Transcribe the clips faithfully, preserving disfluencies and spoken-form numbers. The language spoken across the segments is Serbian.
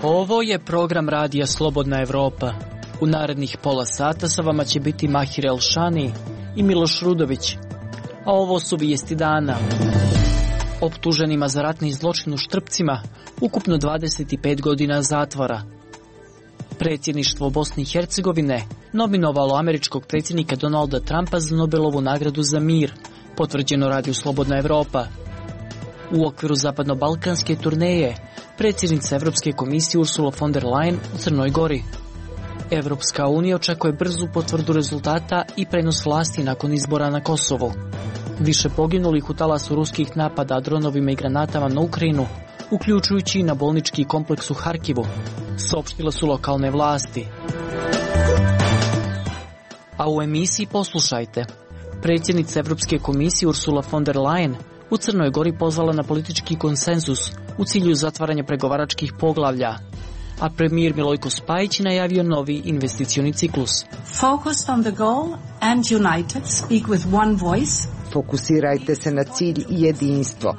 Ovo je program radija Slobodna Evropa. U narednih pola sata sa vama će biti Mahir Elšani i Miloš Rudović. A ovo su vijesti dana. Optuženima za ratni zločin u Štrpcima ukupno dvadeset pet godina zatvora. Predsjedništvo Bosne i Hercegovine nominovalo američkog predsjednika Donalda Trumpa za Nobelovu nagradu za mir, potvrđeno radiju Slobodna Evropa. U okviru zapadno-balkanske turneje predsjednica Evropske komisije Ursula von der Leyen u Crnoj Gori. Evropska unija očekuje brzu potvrdu rezultata i prenos vlasti nakon izbora na Kosovu. Više poginulih u talasu ruskih napada dronovima i granatama na Ukrajinu, uključujući i na bolnički kompleks u Harkivu, saopštile su lokalne vlasti. A u emisiji poslušajte. Predsjednica Evropske komisije Ursula von der Leyen u Crnoj Gori pozvala na politički konsenzus u cilju zatvaranja pregovaračkih poglavlja, a premijer Milojko Spajić najavio novi investicioni ciklus. Focused on the goal and united, speak with one voice. Fokusirajte se na cilj i jedinstvo.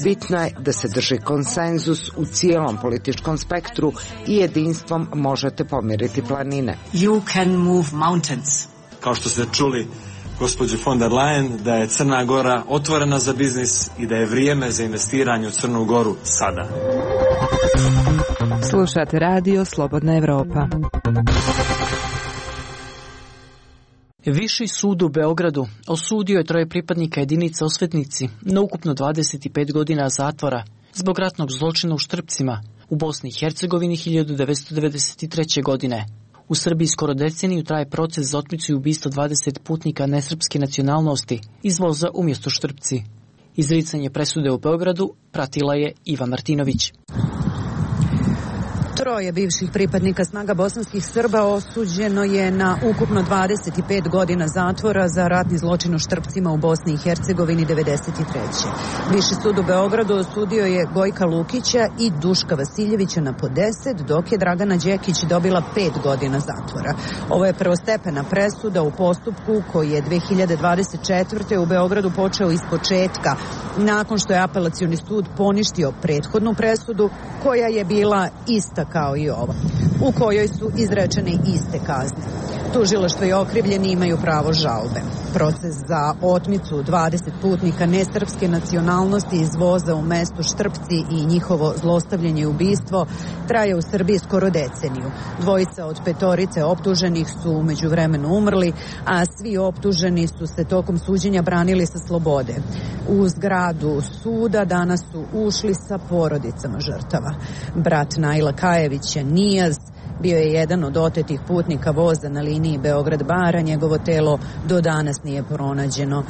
Bitno je da se drži konsenzus u cijelom političkom spektru i jedinstvom možete pomiriti planine. You can move mountains. Kao što ste čuli gospođu von der Leyen, da je Crna Gora otvorena za biznis i da je vrijeme za investiranje u Crnu Goru sada. Slušate radio Slobodna Evropa. Viši sud u Beogradu osudio je troje pripadnika jedinice Osvetnici na ukupno dvadeset pet godina zatvora zbog ratnog zločina u Štrpcima u Bosni i Hercegovini hiljadu devetsto devedeset treće. godine. U Srbiji skoro deceniju traje proces za otmicu i ubistvo dvadeset putnika nesrpske nacionalnosti iz voza umjesto Štrpci. Izricanje presude u Beogradu pratila je Iva Martinović. Troje bivših pripadnika snaga bosanskih Srba osuđeno je na ukupno dvadeset pet godina zatvora za ratni zločin u Štrpcima u Bosni i Hercegovini devedeset treće. Viši sud u Beogradu osudio je Gojka Lukića i Duška Vasiljevića na po deset, dok je Dragana Đekić dobila pet godina zatvora. Ovo je prvostepena presuda u postupku koji je dve hiljade dvadeset četvrte. u Beogradu počeo iz početka, nakon što je apelacioni sud poništio prethodnu presudu koja je bila ista kao i ova, u kojoj su izrečene iste kazne. Tužilaštvo i okrivljeni imaju pravo žalbe. Proces za otmicu dvadeset putnika nesrpske nacionalnosti iz voza u mestu Štrpci i njihovo zlostavljanje i ubistvo traje u Srbiji skoro deceniju. Dvojica od petorice optuženih su u međuvremenu umrli, a svi optuženi su se tokom suđenja branili sa slobode. U zgradu suda danas su ušli sa porodicama žrtava. Brat Naila Kajevića, Nijaz, bio je jedan od otetih putnika voza na liniji Beograd-Bara. Njegovo telo do danas nije pronađeno.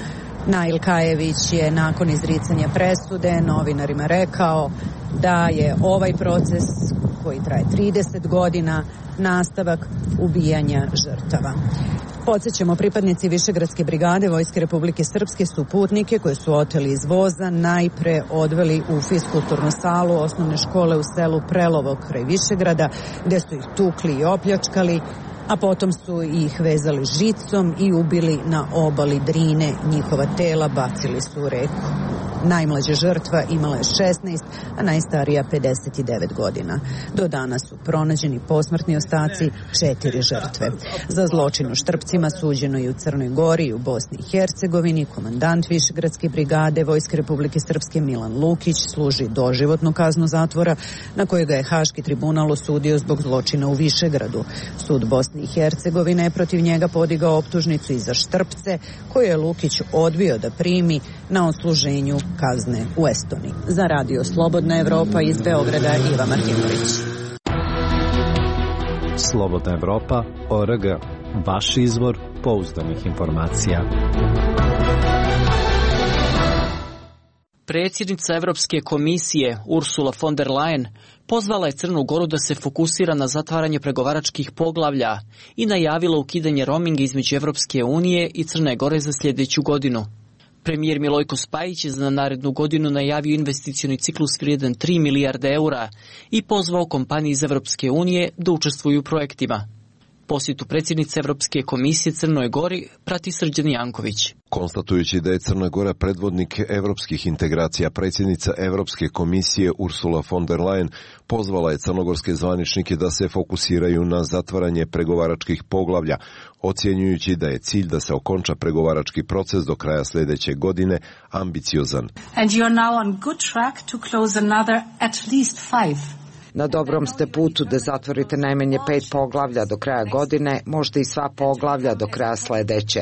Nail Kajević je nakon izricanja presude novinarima rekao da je ovaj proces koji traje trideset godina nastavak ubijanja žrtava. Podsjećamo, pripadnici Višegradske brigade Vojske Republike Srpske su putnike koje su oteli iz voza najpre odveli u fiskulturnu salu osnovne škole u selu Prelovo kraj Višegrada, gde su ih tukli i opljačkali, a potom su ih vezali žicom i ubili na obali Drine. Njihova tela bacili su u reku. Najmlađa žrtva imala je šesnaest, a najstarija pedeset devet godina. Do danas su pronađeni posmrtni ostaci četiri žrtve. Za zločin u Štrpcima suđeno i u Crnoj Gori i u Bosni i Hercegovini. Komandant Višegradske brigade Vojske Republike Srpske Milan Lukić služi doživotnu kaznu zatvora, na koju ga je Haški tribunal osudio zbog zločina u Višegradu. Sud Bosne i Hercegovine je protiv njega podigao optužnicu i za Štrpce, koju je Lukić odbio da primi na odsluženju kazne u Estoniji. Za radio Slobodna Evropa iz Beograda, Iva Martinović. Slobodna Evropa, O R G, vaš izvor pouzdanih informacija. Predsjednica Evropske komisije Ursula von der Leyen pozvala je Crnu Goru da se fokusira na zatvaranje pregovaračkih poglavlja i najavila ukidanje roaminga između Evropske unije i Crne Gore za sljedeću godinu. Premijer Milojko Spajić je za narednu godinu najavio investicioni ciklus vrijedan tri milijarde eura i pozvao kompanije iz Evropske unije da učestvuju u projektima. Posjetu predsjednice Evropske komisije Crnoj Gori prati Srđan Janković. Konstatujući da je Crna Gora predvodnik evropskih integracija, predsjednica Evropske komisije Ursula von der Leyen pozvala je crnogorske zvaničnike da se fokusiraju na zatvaranje pregovaračkih poglavlja, ocjenjujući da je cilj da se okonča pregovarački proces do kraja sljedeće godine ambiciozan. And you are now on good track to close another at least five. Na dobrom ste putu da zatvorite najmanje pet poglavlja do kraja godine, možda i sva poglavlja do kraja sledeće.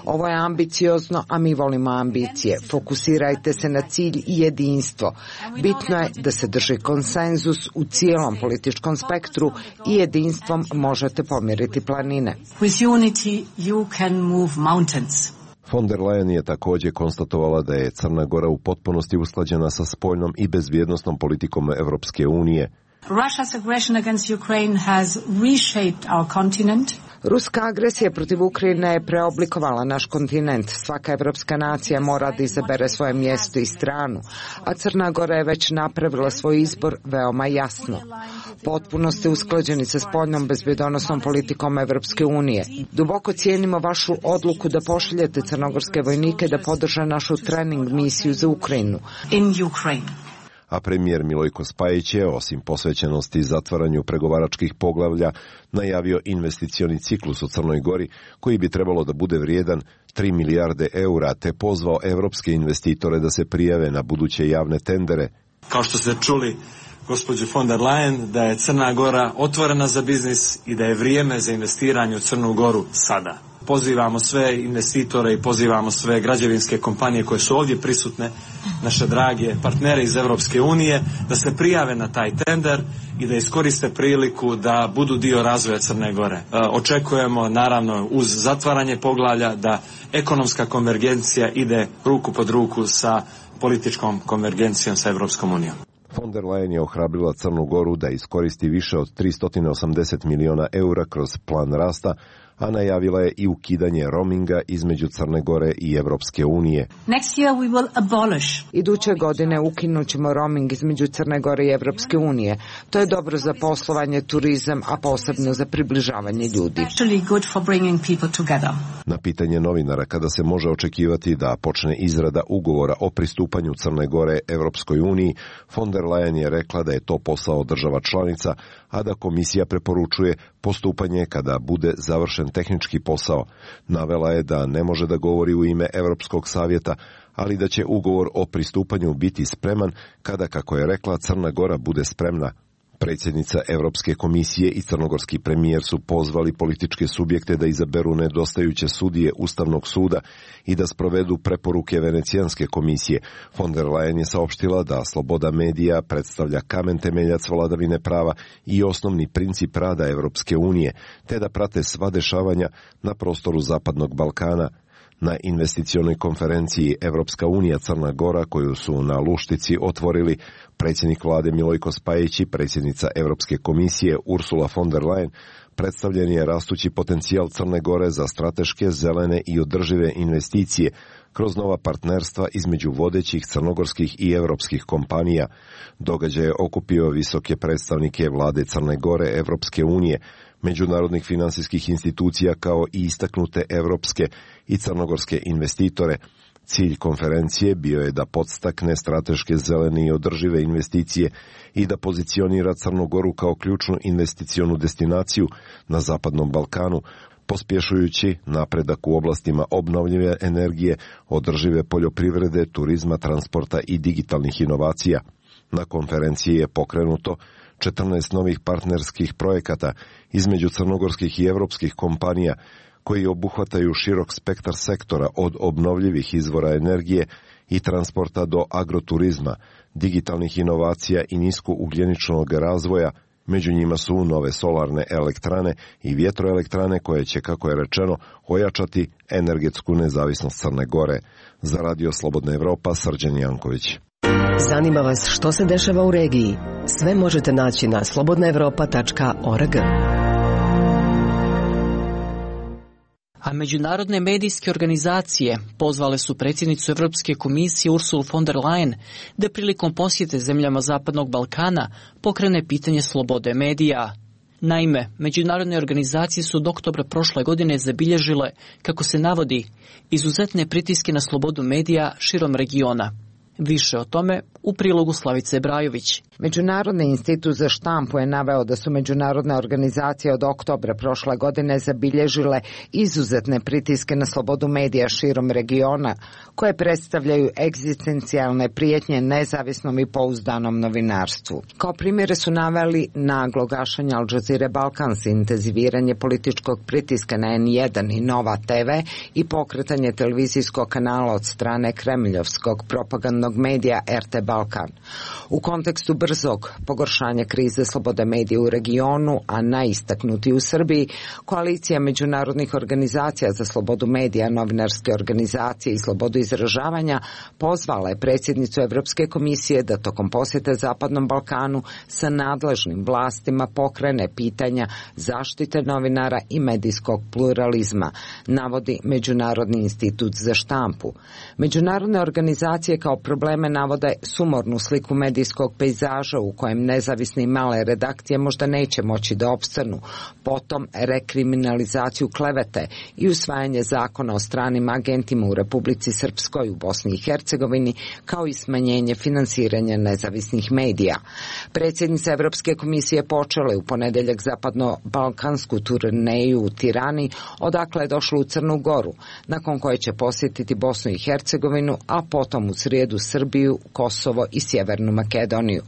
Ovo je ambiciozno, a mi volimo ambicije. Fokusirajte se na cilj i jedinstvo. Bitno je da se drži konsenzus u cijelom političkom spektru i jedinstvom možete pomiriti planine. With unity you can move mountains. Von der Leyen je također konstatovala da je Crna Gora u potpunosti usklađena sa spoljnom i bezbjednosnom politikom Evropske unije. Russia's aggression against Ukraine has reshaped our continent. Ruska agresija protiv Ukrajine je preoblikovala naš kontinent. Svaka evropska nacija mora da izabere svoje mjesto i stranu, a Crna Gora je već napravila svoj izbor veoma jasno. Potpuno ste usklađeni sa spoljnom bezbjedonosnom politikom Evropske unije. Duboko cijenimo vašu odluku da pošaljete crnogorske vojnike da podrže našu trening misiju za Ukrajinu. In Ukraine. A premijer Milojko Spajić je, osim posvećenosti zatvaranju pregovaračkih poglavlja, najavio investicioni ciklus u Crnoj Gori, koji bi trebalo da bude vrijedan tri milijarde eura, te pozvao evropske investitore da se prijave na buduće javne tendere. Kao što ste čuli, gospođo von der Leyen, da je Crna Gora otvorena za biznis i da je vrijeme za investiranje u Crnu Goru sada. Pozivamo sve investitore i pozivamo sve građevinske kompanije koje su ovdje prisutne, naše drage partnere iz Evropske unije, da se prijave na taj tender i da iskoriste priliku da budu dio razvoja Crne Gore. E, očekujemo, naravno, uz zatvaranje poglavlja da ekonomska konvergencija ide ruku pod ruku sa političkom konvergencijom sa Evropskom unijom. Von der Leyen je ohrabrila Crnu Goru da iskoristi više od tristo osamdeset miliona eura kroz plan rasta, a najavila je i ukidanje roaminga između Crne Gore i Evropske unije. Next year we will abolish. Iduće godine ukinut ćemo roaming između Crne Gore i Evropske unije. To je dobro za poslovanje, turizam, a posebno za približavanje ljudi. Actually good for bringing people together. Na pitanje novinara kada se može očekivati da počne izrada ugovora o pristupanju Crne Gore Evropskoj uniji, von der Leyen je rekla da je to posao država članica, a da komisija preporučuje postupanje kada bude završen tehnički posao. Navela je da ne može da govori u ime Evropskog savjeta, ali da će ugovor o pristupanju biti spreman kada, kako je rekla, Crna Gora bude spremna. Predsjednica Evropske komisije i crnogorski premijer su pozvali političke subjekte da izaberu nedostajuće sudije Ustavnog suda i da sprovedu preporuke Venecijanske komisije. Von der Leyen je saopštila da sloboda medija predstavlja kamen temeljac vladavine prava i osnovni princip rada Evropske unije, te da prate sva dešavanja na prostoru Zapadnog Balkana. Na investicionoj konferenciji Evropska unija Crna Gora, koju su na Luštici otvorili predsjednik vlade Milojko Spajić i predsjednica Evropske komisije Ursula von der Leyen, predstavljen je rastući potencijal Crne Gore za strateške, zelene i održive investicije kroz nova partnerstva između vodećih crnogorskih i evropskih kompanija. Događaj je okupio visoke predstavnike vlade Crne Gore, Evropske unije, međunarodnih finansijskih institucija kao i istaknute evropske i crnogorske investitore. Cilj konferencije bio je da podstakne strateške, zelene i održive investicije i da pozicionira Crnu Goru kao ključnu investicionu destinaciju na Zapadnom Balkanu, pospješujući napredak u oblastima obnovljive energije, održive poljoprivrede, turizma, transporta i digitalnih inovacija. Na konferenciji je pokrenuto četrnaest novih partnerskih projekata između crnogorskih i evropskih kompanija koji obuhvataju širok spektar sektora od obnovljivih izvora energije i transporta do agroturizma, digitalnih inovacija i niskougljeničnog razvoja. Među njima su nove solarne elektrane i vjetroelektrane koje će, kako je rečeno, ojačati energetsku nezavisnost Crne Gore. Za Radio Slobodna Evropa, Srđan Janković. Zanima vas što se dešava u regiji? Sve možete naći na slobodna evropa tačka org. A međunarodne medijske organizacije pozvale su predsjednicu Evropske komisije Ursulu von der Leyen da prilikom posjete zemljama Zapadnog Balkana pokrene pitanje slobode medija. Naime, međunarodne organizacije su od oktobra prošle godine zabilježile, kako se navodi, izuzetne pritiske na slobodu medija širom regiona. Više o tome u prilogu Slavice Brajović. Međunarodni institut za štampu je naveo da su međunarodne organizacije od oktobra prošle godine zabilježile izuzetne pritiske na slobodu medija širom regiona, koje predstavljaju egzistencijalne prijetnje nezavisnom i pouzdanom novinarstvu. Kao primjere su naveli naglo gašenje Al Jazeera Balkans, intenziviranje političkog pritiska na en jedan i Nova te ve i pokretanje televizijskog kanala od strane kremljovskog propagandnog medija er te Balkan. U kontekstu brzog pogoršanja krize slobode medija u regionu, a najistaknuti u Srbiji, koalicija međunarodnih organizacija za slobodu medija, novinarske organizacije i slobodu izražavanja pozvala je predsjednicu Evropske komisije da tokom posjete Zapadnom Balkanu sa nadležnim vlastima pokrene pitanja zaštite novinara i medijskog pluralizma, navodi Međunarodni institut za štampu. Međunarodne organizacije kao probleme navode sumornu sliku medijskog pejzaža u kojem nezavisne i male redakcije možda neće moći da opstanu, potom rekriminalizaciju klevete i usvajanje zakona o stranim agentima u Republici Srpskoj, u Bosni i Hercegovini, kao i smanjenje finansiranja nezavisnih medija. Predsjednica Evropske komisije počela je u ponedeljak zapadno-balkansku turneju u Tirani, odakle je došla u Crnu Goru, nakon koje će posjetiti Bosnu i Hercegovinu, a potom u srijedu Srbiju, Kosovo i Sjevernu Makedoniju.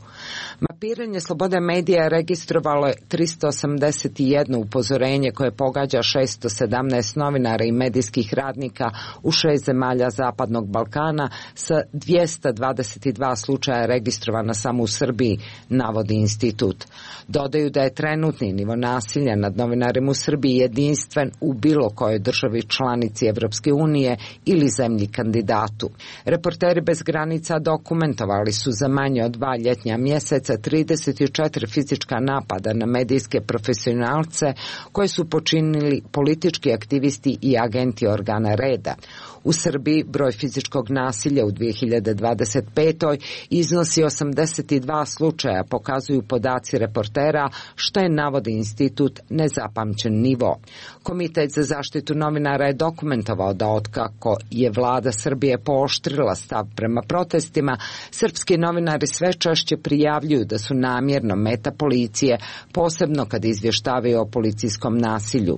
Mapiranje slobode medija registrovalo je trista osamdeset jedno upozorenje koje pogađa šesto sedamnaest novinara i medijskih radnika u šest zemalja Zapadnog Balkana sa dvjesto dvadeset dva slučaja registrovana samo u Srbiji, navodi institut. Dodaju da je trenutni nivo nasilja nad novinarima u Srbiji jedinstven u bilo kojoj državi članici Evropske unije ili zemlji kandidatu. Reporteri bez granica dokumentovali su za manje od dva ljetnja mjeseca trideset četiri fizička napada na medijske profesionalce koje su počinili politički aktivisti i agenti organa reda. U Srbiji broj fizičkog nasilja u dvije hiljade dvadeset petoj iznosi osamdeset dva slučaja, pokazuju podaci reportera, što je, navodi institut, nezapamćen nivo. Komitet za zaštitu novinara je dokumentovao da otkako je vlada Srbije pooštrila stav prema protestima, srpski novinari sve češće prijavljuju da su namjerno meta policije, posebno kad izvještavaju o policijskom nasilju.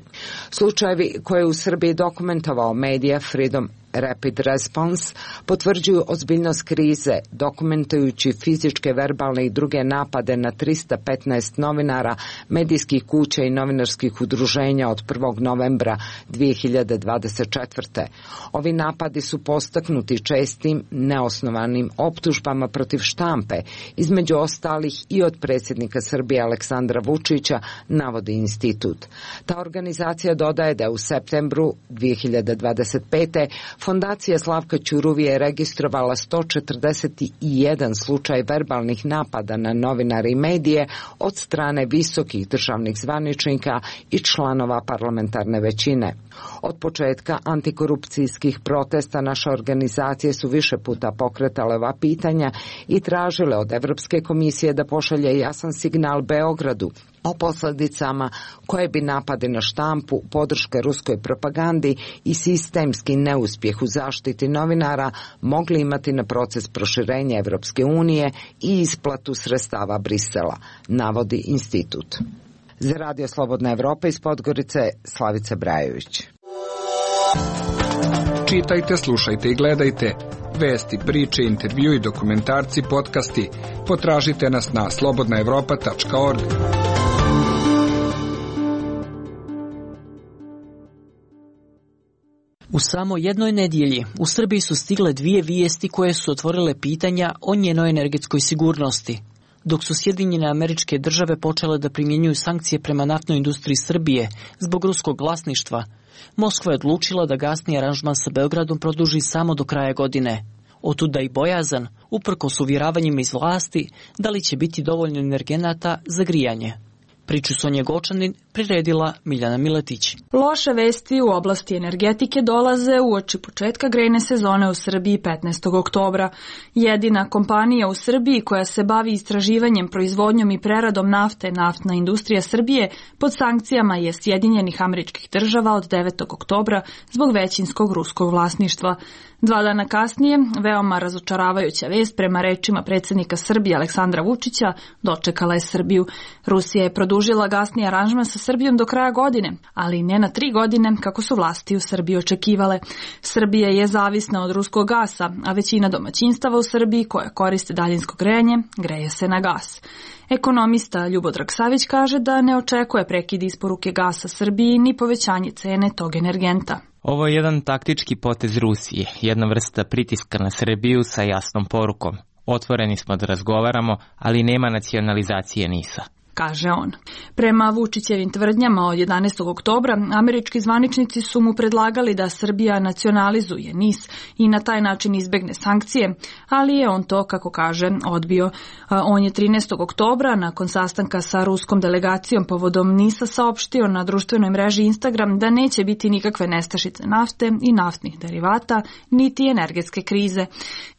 Slučajevi koje je u Srbiji dokumentovao medija Freedom Rapid Response potvrđuju ozbiljnost krize, dokumentujući fizičke, verbalne i druge napade na trista petnaest novinara, medijskih kuća i novinarskih udruženja od prvog novembra dvije hiljade dvadeset četvrte. Ovi napadi su postaknuti čestim, neosnovanim optužbama protiv štampe, između ostalih i od predsjednika Srbije Aleksandra Vučića, navodi institut. Ta organizacija dodaje da je u septembru dvije hiljade dvadeset pete Fondacija Slavka Ćuruvije je registrovala sto četrdeset jedan slučaj verbalnih napada na novinare i medije od strane visokih državnih zvaničnika i članova parlamentarne većine. Od početka antikorupcijskih protesta naše organizacije su više puta pokretale ova pitanja i tražile od Evropske komisije da pošalje jasan signal Beogradu o posljedicama koje bi napadi na štampu, podrška ruskoj propagandi i sistemski neuspjeh u zaštiti novinara mogli imati na proces proširenja Evropske unije i isplatu sredstava Brisela, navodi institut. Za Radio Slobodna Evropa iz Podgorice, Slavica Brajović. Čitajte, slušajte i gledajte vesti, priče, intervju i dokumentarci, podcasti. Potražite nas na slobodna evropa tačka org. U samo jednoj nedjelji u Srbiji su stigle dvije vijesti koje su otvorile pitanja o njenoj energetskoj sigurnosti. Dok su Sjedinjene Američke Države počele da primjenjuju sankcije prema naftnoj industriji Srbije zbog ruskog vlasništva, Moskva je odlučila da gasni aranžman sa Beogradom produži samo do kraja godine. Otuda i bojazan, uprkos uvjeravanjima iz vlasti, da li će biti dovoljno energenata za grijanje. Priču Sonje Gočanin priredila Miljana Miletić. Loše vesti u oblasti energetike dolaze uoči početka grejne sezone u Srbiji petnaestog oktobra. Jedina kompanija u Srbiji koja se bavi istraživanjem, proizvodnjom i preradom nafte, Naftna industrija Srbije, pod sankcijama je Sjedinjenih Američkih Država od devetog oktobra zbog većinskog ruskog vlasništva. Dva dana kasnije, veoma razočaravajuća vest prema rečima predsjednika Srbije Aleksandra Vučića dočekala je Srbiju. Rusija je produžila gasni aranžman sa Srbijom do kraja godine, ali ne na tri godine kako su vlasti u Srbiji očekivale. Srbija je zavisna od ruskog gasa, a većina domaćinstava u Srbiji koja koriste daljinsko grejanje greje se na gas. Ekonomista Ljubodrag Savić kaže da ne očekuje prekid isporuke gasa Srbiji ni povećanje cene tog energenta. Ovo je jedan taktički potez Rusije, jedna vrsta pritiska na Srbiju sa jasnom porukom. Otvoreni smo da razgovaramo, ali nema nacionalizacije NIS-a, kaže on. Prema Vučićevim tvrdnjama od jedanaestog oktobra, američki zvaničnici su mu predlagali da Srbija nacionalizuje NIS i na taj način izbegne sankcije, ali je on to, kako kaže, odbio. On je trinaestog oktobra, nakon sastanka sa ruskom delegacijom povodom NIS-a, saopštio na društvenoj mreži Instagram da neće biti nikakve nestašice nafte i naftnih derivata, niti energetske krize.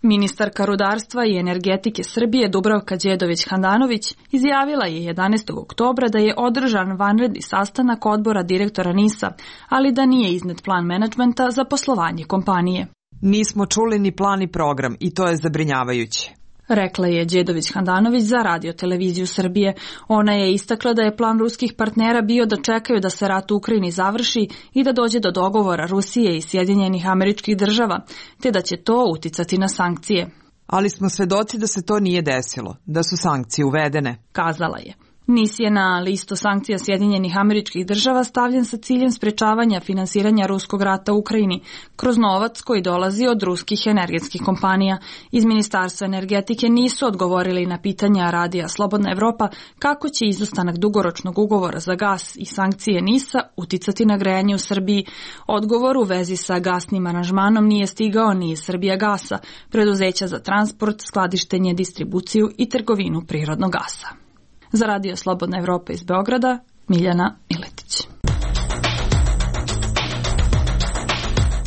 Ministarka rudarstva i energetike Srbije Dubravka Đedović-Handanović izjavila je jedanaestog oktobra da je održan vanredni sastanak odbora direktora NIS-a, ali da nije iznet plan menadžmenta za poslovanje kompanije. Nismo čuli ni plan i program i to je zabrinjavajuće, rekla je Đedović-Handanović za Radio televiziju Srbije. Ona je istakla da je plan ruskih partnera bio da čekaju da se rat u Ukrajini završi i da dođe do dogovora Rusije i Sjedinjenih Američkih Država, te da će to uticati na sankcije. Ali smo svedoci da se to nije desilo, da su sankcije uvedene, kazala je. NIS je na listu sankcija Sjedinjenih Američkih Država stavljen sa ciljem sprečavanja finansiranja ruskog rata u Ukrajini kroz novac koji dolazi od ruskih energetskih kompanija. Iz Ministarstva energetike nisu odgovorili na pitanja Radija Slobodna Evropa kako će izostanak dugoročnog ugovora za gas i sankcije NIS-a uticati na grejanje u Srbiji. Odgovor u vezi sa gasnim aranžmanom nije stigao ni iz Srbijagasa, preduzeća za transport, skladištenje, distribuciju i trgovinu prirodnog gasa. Za Radio Slobodna Evropa iz Beograda, Miljana Miletić.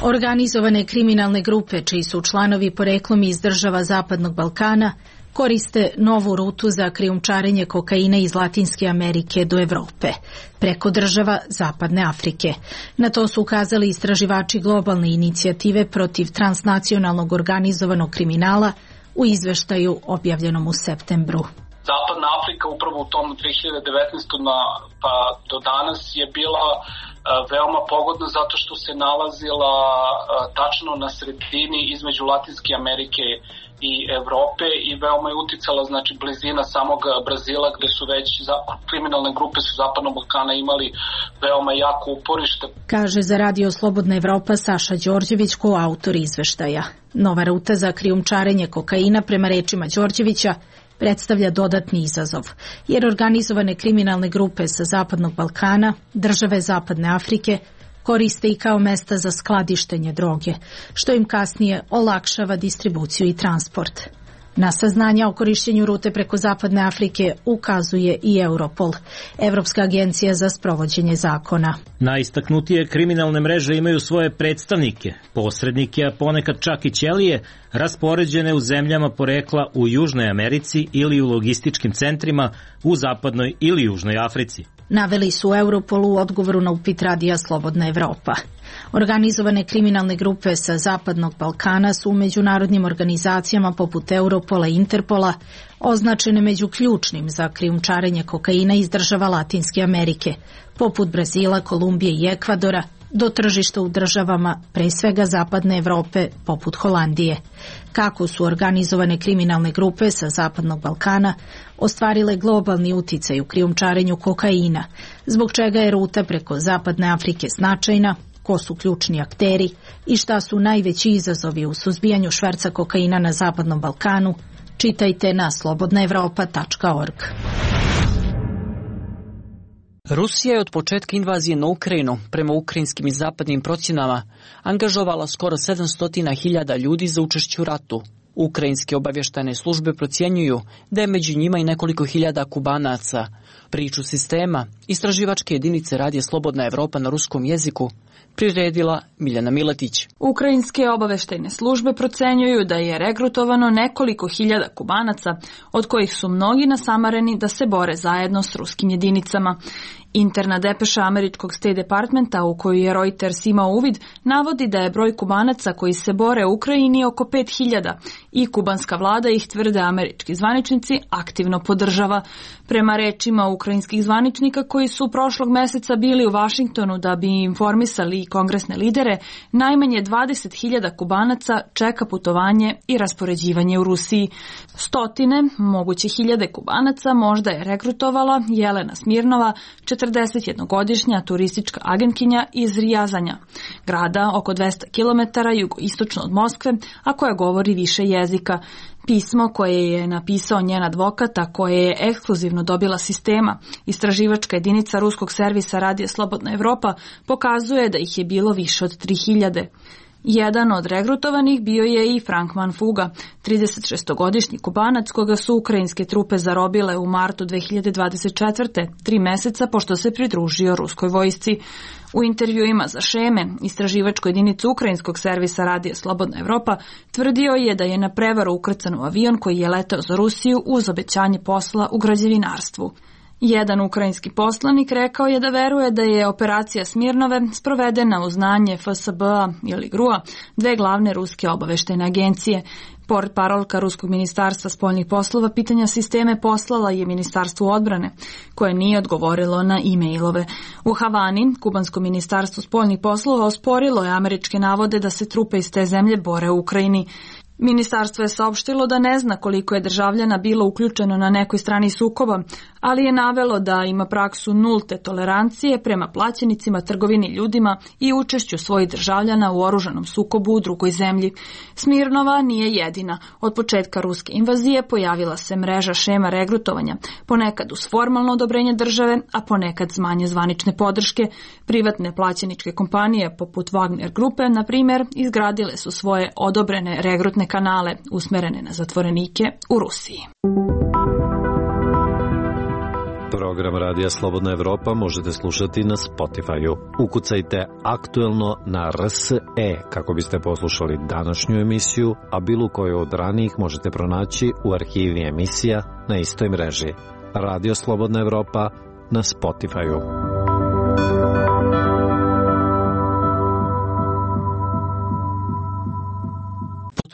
Organizovane kriminalne grupe, čiji su članovi poreklom iz država Zapadnog Balkana, koriste novu rutu za krijumčarenje kokaina iz Latinske Amerike do Evrope, preko država Zapadne Afrike. Na to su ukazali istraživači globalne inicijative protiv transnacionalnog organizovanog kriminala u izveštaju objavljenom u septembru. Zapadna Afrika upravo u tom dve hiljade devetnaestoj na, pa do danas je bila a, veoma pogodna zato što se nalazila a, tačno na sredini između Latinske Amerike i Evrope i veoma je uticala, znači, blizina samog Brazila gde su već za, kriminalne grupe su Zapadnog Balkana imali veoma jako uporište. Kaže za Radio Slobodna Evropa Saša Đorđević, koautor izveštaja. Nova ruta za krijumčarenje kokaina, prema rečima Đorđevića, predstavlja dodatni izazov, jer organizovane kriminalne grupe sa Zapadnog Balkana, države Zapadne Afrike, koriste i kao mesta za skladištenje droge, što im kasnije olakšava distribuciju i transport. Na saznanja o korišćenju rute preko Zapadne Afrike ukazuje i Europol, Evropska agencija za sprovođenje zakona. Najistaknutije kriminalne mreže imaju svoje predstavnike, posrednike, a ponekad čak i ćelije, raspoređene u zemljama porekla u Južnoj Americi ili u logističkim centrima u Zapadnoj ili Južnoj Africi. Naveli su Europolu u odgovoru na upit Radija Slobodna Evropa. Organizovane kriminalne grupe sa Zapadnog Balkana su u međunarodnim organizacijama poput Europola i Interpola označene među ključnim za krijumčarenje kokaina iz država Latinske Amerike, poput Brazila, Kolumbije i Ekvadora, do tržišta u državama, pre svega Zapadne Evrope, poput Holandije. Kako su organizovane kriminalne grupe sa Zapadnog Balkana ostvarile globalni uticaj u krijumčarenju kokaina, zbog čega je ruta preko Zapadne Afrike značajna, ko su ključni akteri i šta su najveći izazovi u suzbijanju šverca kokaina na Zapadnom Balkanu, čitajte na slobodna evropa tačka org. Rusija je od početka invazije na Ukrajinu, prema ukrajinskim i zapadnim procjenama, angažovala skoro sedamsto hiljada ljudi za učešće u ratu. Ukrajinske obavještajne službe procjenjuju da je među njima i nekoliko hiljada Kubanaca. Priču sistema istraživačke jedinice Radija Slobodna Evropa na ruskom jeziku priredila Miljana Miletić. Ukrajinske obaveštajne službe procenjuju da je regrutovano nekoliko hiljada Kubanaca, od kojih su mnogi nasamareni da se bore zajedno s ruskim jedinicama. Interna depeša američkog State Departmenta, u koju je Reuters imao uvid, navodi da je broj Kubanaca koji se bore u Ukrajini oko pet hiljada i kubanska vlada ih, tvrde američki zvaničnici, aktivno podržava. Prema rečima ukrajinskih zvaničnika koji su prošlog meseca bili u Vašingtonu da bi informisali kongresne lidere, najmanje dvadeset hiljada Kubanaca čeka putovanje i raspoređivanje u Rusiji. Stotine, moguće hiljade Kubanaca možda je regrutovala Jelena Smirnova, četrdesetjednogodišnja turistička agentkinja iz Rijazanja, grada oko dvesta kilometara jugoistočno od Moskve, a koja govori više jezika. Pismo koje je napisao njen advokat, a koje je ekskluzivno dobila sistema, istraživačka jedinica ruskog servisa Radija Slobodna Evropa, pokazuje da ih je bilo više od tri hiljade. Jedan od regrutovanih bio je i Frank Manfuga, tridesetšestogodišnji Kubanac koga su ukrajinske trupe zarobile u martu dve hiljade dvadeset četvrte, tri meseca pošto se pridružio ruskoj vojsci. U intervjuima za Šeme, istraživačku jedinicu ukrajinskog servisa Radija Slobodna Evropa, tvrdio je da je na prevaru ukrcan u avion koji je leteo za Rusiju uz obećanje posla u građevinarstvu. Jedan ukrajinski poslanik rekao je da veruje da je operacija Smirnove sprovedena uz znanje F S B-a ili G R U-a, dve glavne ruske obaveštajne agencije. Portparolka Ruskog ministarstva spoljnih poslova pitanja sisteme poslala je Ministarstvu odbrane, koje nije odgovorilo na e-mailove. U Havani, kubansko ministarstvo spoljnih poslova osporilo je američke navode da se trupe iz te zemlje bore u Ukrajini. Ministarstvo je saopštilo da ne zna koliko je državljana bilo uključeno na nekoj strani sukoba, ali je navelo da ima praksu nulte tolerancije prema plaćenicima, trgovini ljudima i učešću svojih državljana u oružanom sukobu u drugoj zemlji. Smirnova nije jedina. Od početka ruske invazije pojavila se mreža šema regrutovanja, ponekad uz formalno odobrenje države, a ponekad s manje zvanične podrške. Privatne plaćeničke kompanije poput Wagner grupe, na primjer, izgradile su svoje odobrene regrutne kanale usmerene na zatvorenike u Rusiji. Program Radija Slobodna Evropa možete slušati na Spotify-u. Ukucajte aktuelno na R S E kako biste poslušali današnju emisiju, a bilo koju od ranijih možete pronaći u arhivi emisija na istoj mreži. Radio Slobodna Evropa na Spotify-u.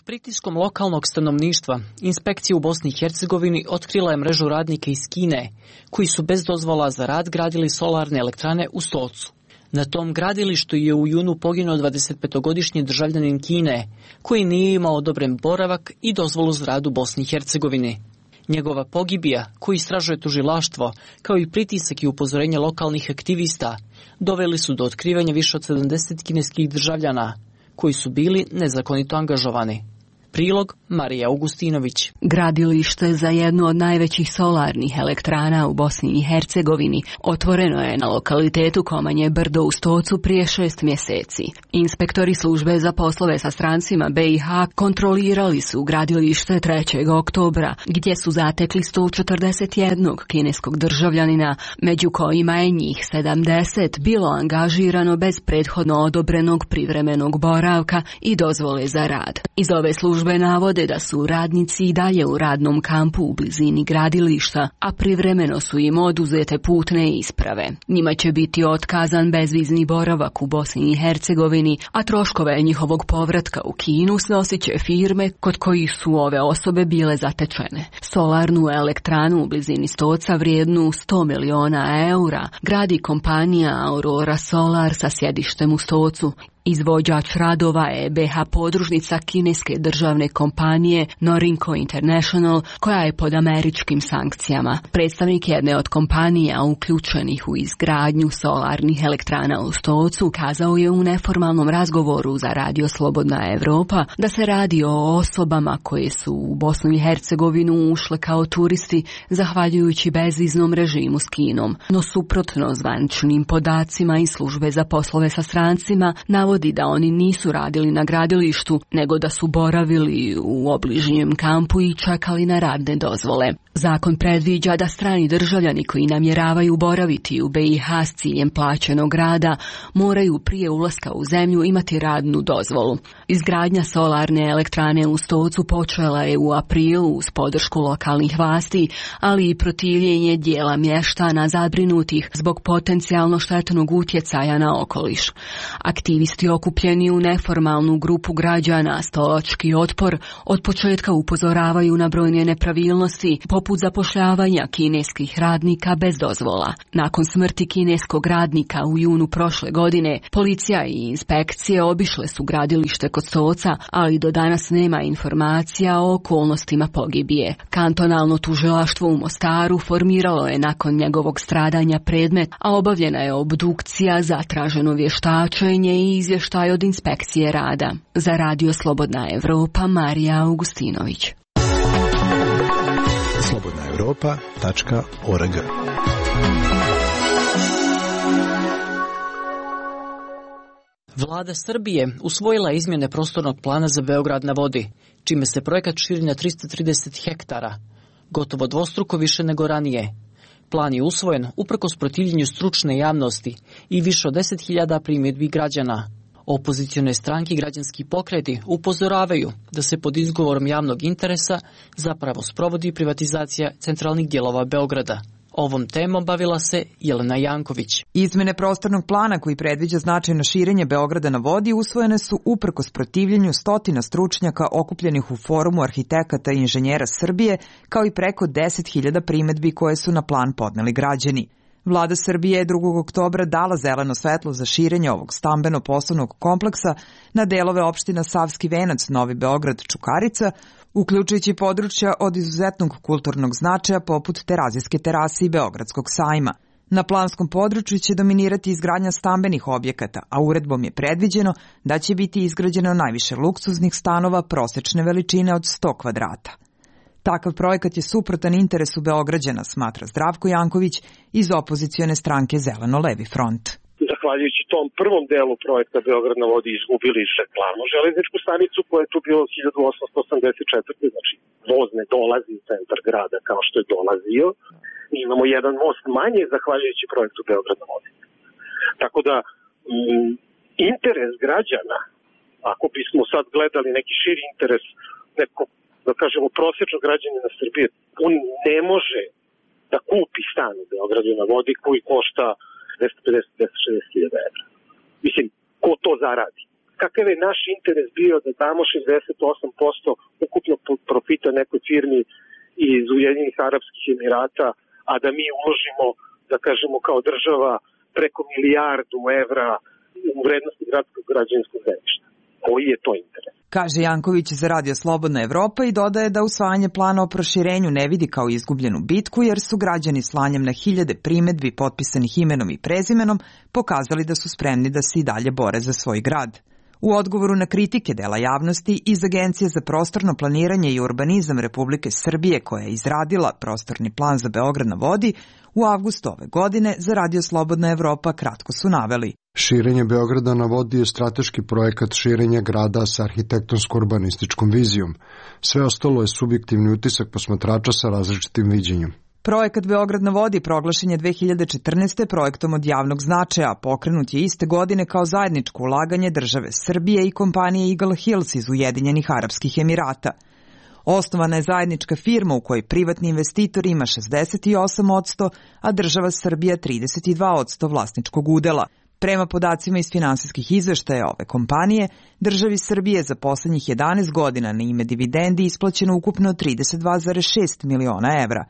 Pritiskom lokalnog stanovništva, inspekcija u Bosni i Hercegovini otkrila je mrežu radnika iz Kine, koji su bez dozvola za rad gradili solarne elektrane u Stocu. Na tom gradilištu je u junu poginuo dvadesetpetogodišnji državljanin Kine, koji nije imao odobren boravak i dozvolu za rad u Bosni i Hercegovini. Njegova pogibija, koju istražuje tužilaštvo, kao i pritisak i upozorenje lokalnih aktivista, doveli su do otkrivanja više od sedamdeset kineskih državljana, koji su bili nezakonito angažovani. Prilog Marija Augustinović. Gradilište za jednu od najvećih solarnih elektrana u Bosni i Hercegovini otvoreno je na lokalitetu Komanje Brdo u Stocu prije šest mjeseci. Inspektori službe za poslove sa strancima B i H kontrolirali su gradilište trećeg oktobra, gdje su zatekli sto četrdeset jednog kineskog državljanina, među kojima je njih sedamdeset bilo angažirano bez prethodno odobrenog privremenog boravka i dozvole za rad. Iz ove službe navode da su radnici i dalje u radnom kampu u blizini gradilišta, a privremeno su im oduzete putne isprave. Njima će biti otkazan bezvizni boravak u Bosni i Hercegovini, a troškove njihovog povratka u Kinu snosit će firme kod kojih su ove osobe bile zatečene. Solarnu elektranu u blizini Stoca vrijednu sto miliona eura gradi kompanija Aurora Solar sa sjedištem u Stocu. Izvođač radova je B H podružnica kineske državne kompanije Norinco International, koja je pod američkim sankcijama. Predstavnik jedne od kompanija uključenih u izgradnju solarnih elektrana u Stocu kazao je u neformalnom razgovoru za Radio Slobodna Evropa da se radi o osobama koje su u Bosnu i Hercegovinu ušle kao turisti zahvaljujući bezviznom režimu s Kinom. No suprotno zvaničnim podacima iz službe za poslove sa strancima navodi navodi da oni nisu radili na gradilištu, nego da su boravili u obližnjem kampu i čekali na radne dozvole. Zakon predviđa da strani državljani koji namjeravaju boraviti u B i H s ciljem plaćenog rada moraju prije ulaska u zemlju imati radnu dozvolu. Izgradnja solarne elektrane u Stocu počela je u aprilu uz podršku lokalnih vlasti, ali i protivljenje dijela mještana zabrinutih zbog potencijalno štetnog utjecaja na okoliš. Aktivisti okupljeni u neformalnu grupu građana Stolački otpor od početka upozoravaju na brojne nepravilnosti, poput zapošljavanja kineskih radnika bez dozvola. Nakon smrti kineskog radnika u junu prošle godine, policija i inspekcije obišle su gradilište kod Stoca, ali do danas nema informacija o okolnostima pogibije. Kantonalno tužilaštvo u Mostaru formiralo je nakon njegovog stradanja predmet, a obavljena je obdukcija, zatraženo vještačenje i izvještaj od inspekcije rada. Za Radio Slobodna Evropa, Marija Augustinović. slobodna evropa tačka org. Vlada Srbije usvojila izmjene prostornog plana za Beograd na vodi, čime se projekat širi na tristo trideset hektara, gotovo dvostruko više nego ranije. Plan je usvojen uprkos protivljenju stručne javnosti i više od deset hiljada primjedbi građana. Opozicione stranke i građanski pokreti upozoravaju da se pod izgovorom javnog interesa zapravo sprovodi privatizacija centralnih dijelova Beograda. Ovom temom bavila se Jelena Janković. Izmene prostornog plana koji predviđa značajno širenje Beograda na vodi usvojene su uprkos protivljenju stotina stručnjaka okupljenih u Forumu arhitekata i inženjera Srbije, kao i preko deset hiljada primedbi koje su na plan podneli građani. Vlada Srbije je drugog oktobra dala zeleno svetlo za širenje ovog stambeno-poslovnog kompleksa na delove opština Savski Venac, Novi Beograd, Čukarica, uključujući područja od izuzetnog kulturnog značaja poput Terazijske terase i Beogradskog sajma. Na planskom području će dominirati izgradnja stambenih objekata, a uredbom je predviđeno da će biti izgrađeno najviše luksuznih stanova prosečne veličine od sto kvadrata. Takav projekat je suprotan interesu Beograđana, smatra Zdravko Janković iz opozicione stranke Zeleno-levi front. Zahvaljujući tom prvom delu projekta Beograd na vodi izgubili glavnu železničku stanicu koja je tu bilo hiljadu osamsto osamdeset četvrte. Znači voz ne dolazi u centar grada kao što je dolazio. Mi imamo jedan most manje zahvaljujući projektu Beograd na vodi. Tako da m, interes građana, ako bismo sad gledali neki širi interes nekog, da kažemo, prosječnog građanina Srbije, on ne može da kupi stan u Beogradu na vodi koji košta dvesta pedeset do dvesta šezdeset hiljada evra. Mislim, ko to zaradi? Kakav je naš interes bio da damo šezdeset osam posto ukupnog profita nekoj firmi iz Ujedinjenih Arapskih Emirata, a da mi uložimo, da kažemo, kao država preko milijardu evra u vrednosti gradskog građevinskog zemljišta? Koji je to interes? Kaže Janković za Radio Slobodna Evropa i dodaje da usvajanje plana o proširenju ne vidi kao izgubljenu bitku, jer su građani slanjem na hiljade primedbi potpisanih imenom i prezimenom pokazali da su spremni da se i dalje bore za svoj grad. U odgovoru na kritike dela javnosti iz Agencije za prostorno planiranje i urbanizam Republike Srbije, koja je izradila prostorni plan za Beograd na vodi, u avgustu ove godine za Radio Slobodna Evropa kratko su naveli: širenje Beograda na vodi je strateški projekat širenja grada sa arhitektonsko-urbanističkom vizijom. Sve ostalo je subjektivni utisak posmatrača sa različitim viđenjem. Projekat Beograd na vodi proglašen je dve hiljade četrnaeste. projektom od javnog značaja, pokrenut je iste godine kao zajedničko ulaganje države Srbije i kompanije Eagle Hills iz Ujedinjenih Arapskih Emirata. Osnovana je zajednička firma u kojoj privatni investitor ima šezdeset osam posto, a država Srbija trideset dva posto vlasničkog udela. Prema podacima iz finansijskih izveštaja ove kompanije, državi Srbije za poslednjih jedanaest godina na ime dividendi isplaćeno ukupno trideset dva zarez šest miliona evra.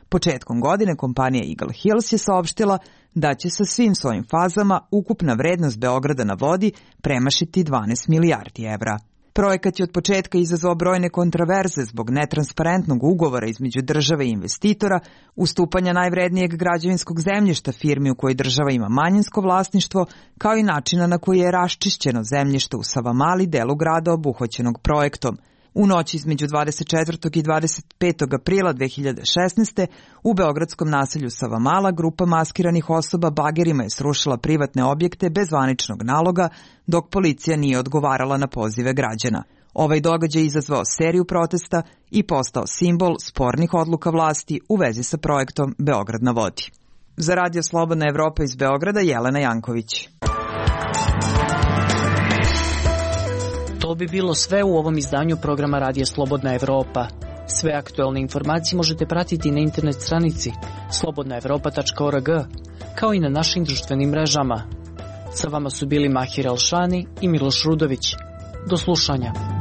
Početkom godine kompanija Eagle Hills je saopštila da će sa svim svojim fazama ukupna vrednost Beograda na vodi premašiti dvanaest milijardi evra. Projekat je od početka izazvao brojne kontraverze zbog netransparentnog ugovora između države i investitora, ustupanja najvrednijeg građevinskog zemljišta firmi u kojoj država ima manjinsko vlasništvo, kao i načina na koji je raščišćeno zemljište u Savamali, delu grada obuhvaćenog projektom. U noći između dvadeset četvrtog i dvadeset petog aprila dve hiljade šesnaeste. u beogradskom naselju Savamala grupa maskiranih osoba bagerima je srušila privatne objekte bez zvaničnog naloga, dok policija nije odgovarala na pozive građana. Ovaj događaj je izazvao seriju protesta i postao simbol spornih odluka vlasti u vezi sa projektom Beograd na vodi. Za Radio Slobodna Evropa iz Beograda, Jelena Janković. To bi bilo sve u ovom izdanju programa Radija Slobodna Evropa. Sve aktuelne informacije možete pratiti na internet stranici slobodna evropa tačka org, kao i na našim društvenim mrežama. Sa vama su bili Mahir Elšani i Miloš Rudović. Do slušanja.